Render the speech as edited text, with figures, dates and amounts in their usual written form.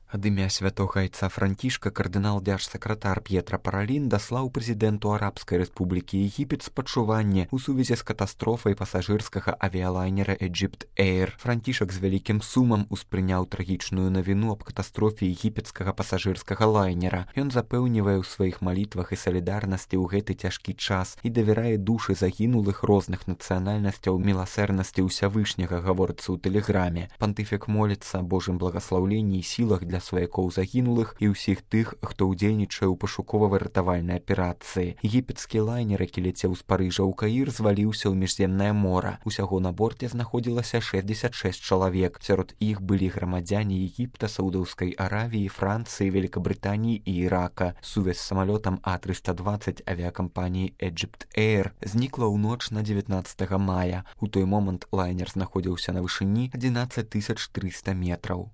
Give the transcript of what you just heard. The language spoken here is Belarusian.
Ад імя святога айца Францішка кардынал дзяржсакратар П'етра Паралін даслаў прэзідэнту Арабскай Рэспублікі Егіпет спачуванне ў сувязі з катастрофай пасажырскага авіялайнера Egypt Air. Францішак з вялікім сумам успрыняў трагічную навіну аб катастрофе егіпецкага пасажырскага лайнера. Ён запэўнівае ў сваіх малітвах і салідарнасці ў гэты цяжкі час і давярае душы загінулых розных нацыянальнасцяў міласэрнасці ўсявышняга, гаворыцца ў тэлеграме. Пантыфік моліцца Божым благаслаўленні і сілах для сваякоў загінулых і ўсіх тых, хто ўдзельнічае ў пашукова-выратавальнай аперацыі. Егіпецкі лайнер, які ляцеў з Парыжа ў Каір, зваліўся ў міжземнае мора. Усяго на борце знаходзілася 66 чалавек. Сярод іх былі грамадзяне Егіпта, Саудаўскай Аравіі, Францыі, Великабрытаніі і Ірака. Сувязь з самалётам А320 авіякампаніі Egypt Air знікла ў ноч на 19 мая. У той момант лайнер знаходзіўся на вышыні 11 300 метраў.